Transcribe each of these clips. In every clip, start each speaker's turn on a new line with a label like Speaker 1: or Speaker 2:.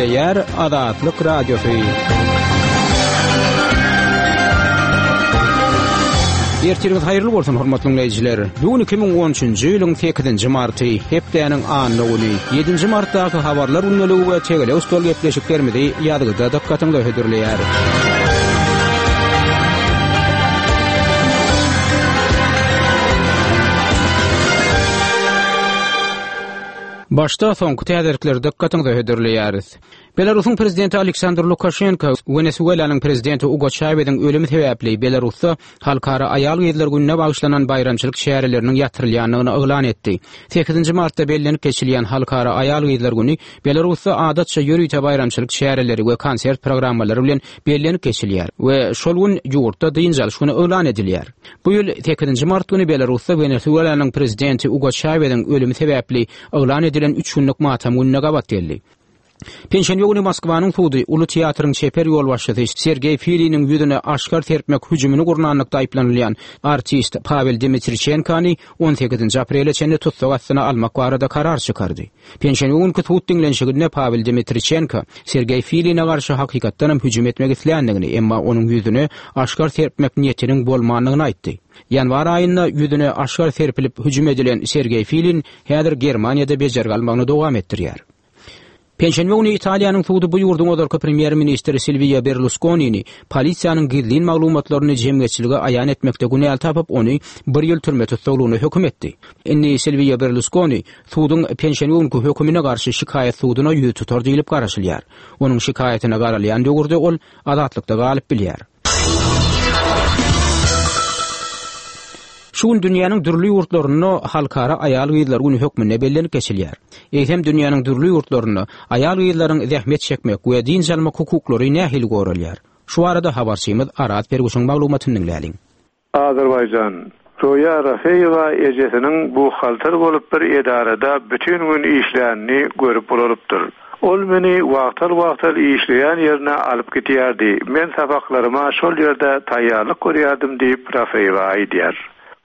Speaker 1: Gepleýär Azatlyk Radiosy. Ertiriňiz haýyrly bolsun, hormatly diňleýjiler. Bu gün 2013-nji ýylyň 8-nji marty, hepdäniň anna güni. 7-nji martdaky habarlar gündeligi we tegelek stol gepleşiklerimizi ýazgyda dykgatyňyza hödürleýäris. Başda soňky täzelikleri dykgatyňyza hödürleýäris. Belarusyň prezidenti Aleksandr Lukaşenko Wenesuelanyň prezidenti Ugo Çaweziň ölümi sebäpli Belarusda Halkara aýal-gyzlar gününe bagyşlanan baýramçylyk çäreleriniň ýatyrylýandygyny yglan etdi. Sekizinji martda bellenip geçilýän Halkara aýal-gyzlar güni Belarusda adatça ýörite baýramçylyk çäreleri we konsert programmalary bilen bellenip geçilýär we şol gün ýurtda dynç alyş güni yglan edilýär. Bu ýyl sekizinji mart güni Belarusda Wenesuelanyň prezidenti Ugo Çaweziň ölümi sebäpli yglan edilen üç günlük matam gününe gabat geldi. Penşenbe güni Moskwanyň sudy Uly teatryň çeper ýolbaşçysy Sergeý Filiniň ýüzüne aşgar serpmek hüjümini gurnanlykda aýyplanylýan artist Pawel Dmitriçenkony on sekizinji aprele çenli tussag astyna almak barada karar çykardy. Penşenbe günki sud diňlenişiginde Pawel Dmitriçenko Sergeý Filine garşy hakykatdanam hüjüm etmek isländigini, emma onuň ýüzüne aşgar serpmek niýetiniň bolmandygyny aýtdy. Ýanwar aýynda ýüzüne aşgar serpilip hüjüm edilen Sergeý Filin häzir Germaniýada bejergi almagyny dowam etdirýär. Penşenbe güni Italiýanyň sudy bu ýurduň ozalky premýer-ministri Silwio Berluskonini polisiýanyň gizlin maglumatlaryny jemgyýetçilige aýan etmekde günäli tapyp, ony bir ýyl türme tussaglygyna höküm etdi. Indi Silwio Berluskoni suduň penşenbe günki hökümine garşy şikaýat suduna ýüz tutar diýlip garaşylýar. Onuň şikaýatyna garalýan döwürde ol azatlykda galyp bilýär. Şu gün dünýäniň dürli ýurtlarynda Halkara aýal-gyzlar güni hökmünde bellenip geçilýär. Eýsem, dünýäniň dürli ýurtlarynda aýal-gyzlaryň zähmet çekmek we dynç almak hukuklary nähili goralýar? Şu barada habarçymyz Araz Perguşyň maglumatyny diňläliň.
Speaker 2: Azerbaýjan. Zoýa Rafeýewa ejesiniň buhgalter bolup bir edarada bütin gün işlänini görüp ulalypdyr. Ol meni wagtal-wagtal işleýän ýerine alyp gidýärdi, men sapaklaryma şol ýerde taýýarlyk görýärdim diýip, Rafeýewa aýdýar.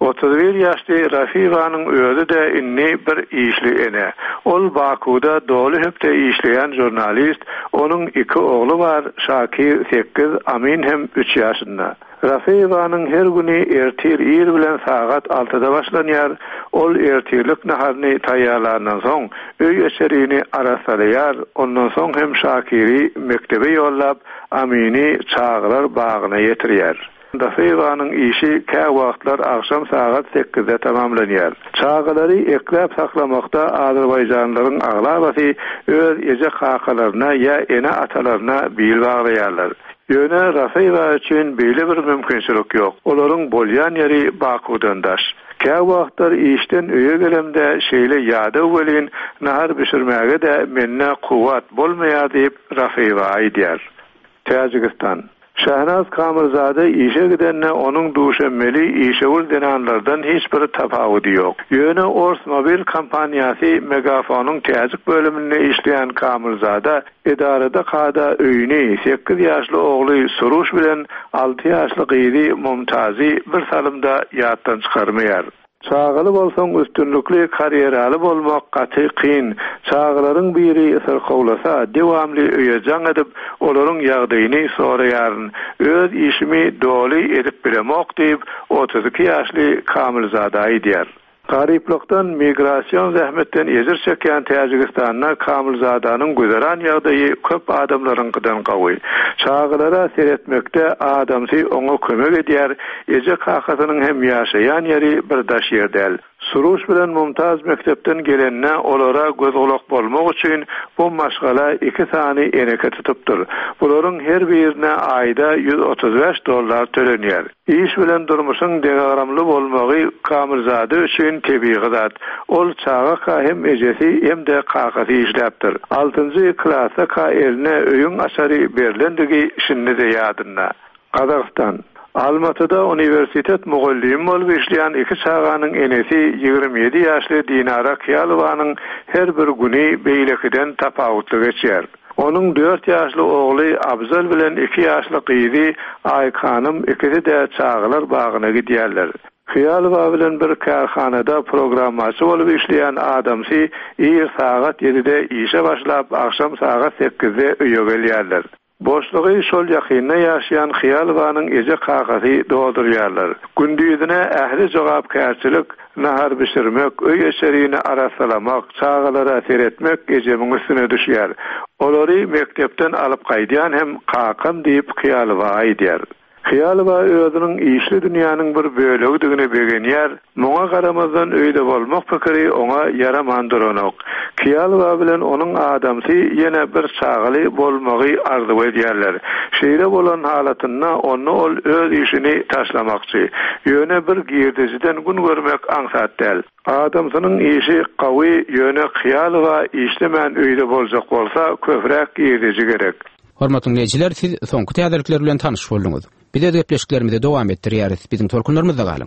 Speaker 2: 31 ýaşly Rafeýewanyň özi-de indi bir işli ene. Ol Bakuwda doly hökde işleýän žurnalist, onuň iki ogly bar, Şakir sekiz, Amin hem üç ýaşynda. Rafeýewanyň her güni ertir ir bilen sagat altyda başlanýar, ol ertirlik naharyny taýýarlandan soň, öý-içerini arassalaýar, ondan soň hem Şakiri mekdebe ýollap, Amini çagalar bagyna ýetirýär. Rafeýewanyň işi käwagtlar agşam sagat sekizde tamamlanýar. Çagalary ekläp-saklamakda azerbaýjanlylaryň aglabasy öz eje-kakalaryna ýa ene-atalaryna bil baglaýarlar. Ýöne Rafeýewa üçin beýle bir mümkinçilik ýok. Olaryň bolýan ýeri Bakuwdan daş. Käwagtlar işden öýe gelemde şeýle ýadaw welin, nahar bişirmäge-de mende kuwwat bolmaýar diýip, Rafeýewa aýdýar. Täjigistan. Şahnaz Kamilzade işe gidende onuň duşenbeli işewür zenanlardan hiç bir tapawudy ýok. Ýöne ors mobil kompaniýasy Megafonyň täjik bölüminde işleýän Kamilzada Edarada kada öýüni, sekiz ýaşly ogly Suruş bilen alty ýaşly gyzy Mumtazy bir salymda ýatdan çykarmaýar. Çagaly bolsaň üstünlikli karýeraly bolmak gaty kyn. Çagalaryň biri syrkawlasa, dewamly öýe jaň edip, olaryň ýagdaýyny soraýaryn. Öz işimi doly edip bilemok diýip, 32 ýaşly Kamilzada aýdýar. Garyplykdan, migrasion zähmetden ejir çekýän Täjigistanda Kamilzadanyň güzeran ýagdaýy köp adamlaryňkydan gowy. Çagalara seretmekde adamsy oňa kömek edýär, eje-kakasynyň hem ýaşaýan ýeri bir daş ýer däl. Suruş bilen Mumtaz mekdepden gelende olara göz-gulak bolmak üçin bu maşgala iki sany eneke tutupdyr. Bularyň her birine aýda 135 dollar tölenýär. Iş bilen durmuşyň deňagramly bolmagy Kamilzade üçin tebigy zat. Ol çagaka hem ejesi, hem-de kakasy işläpdir. Altynjy klasdaka eline öýüň açary berlendigi şindi-de ýadynda. Gazagystan. Almatyda uniwersitet mugallymy bolup işleýän iki çaganyň enesi 27 ýaşly Dinara Kyýalowanyň her bir güni beýlekiden tapawutly geçýär. Onuň dört ýaşly ogly Abzal bilen iki ýaşly gyzy Aýkhanym ikisi-de çagalar bagyna gidýärler. Hyýalowa bilen bir kärhanada programmaçy bolup işleýän adamsy ir sagat ýedide işe başlap, agşam sagat sekizde öýe gelýärler. Boşlugy şol ýakynda ýaşaýan Hyýalowanyň eje-kakasy doldurýarlar. Gündizine ähli jogapkärçilik, nahar bişirmek, öý-içerini arassalamak, çagalara seretmek ejemiň üstüne düşýär. Olary mekdepden alyp gaýdýan hem kakam diýip Hyýalowa aýdýar. Hyýalowa özüniň işli dünýäniň bir bölegidigine begenýär, muňa garamazdan öýde bolmak pikiri oňa ýaraman duranok. Kyýalowa bilen onuň adamsy ýene bir çagaly bolmagy arzuw edýärler. Şeýle bolan halatynda onda ol öz işini taşlamakçy. Ýöne bir girdejiden gün görmek aňsat däl. Adamsynyň işi gawy, ýöne Kyýalowa işlemän öýde boljak bolsa köpräk girdeji gerek.
Speaker 1: Hormatly diňleýjiler, siz soňky täzelikler bilen tanyş bolduňyz. Biz öz gepleşiklerimizi dowam etdirýäris. Biziň tolkunlarymyzda galyň!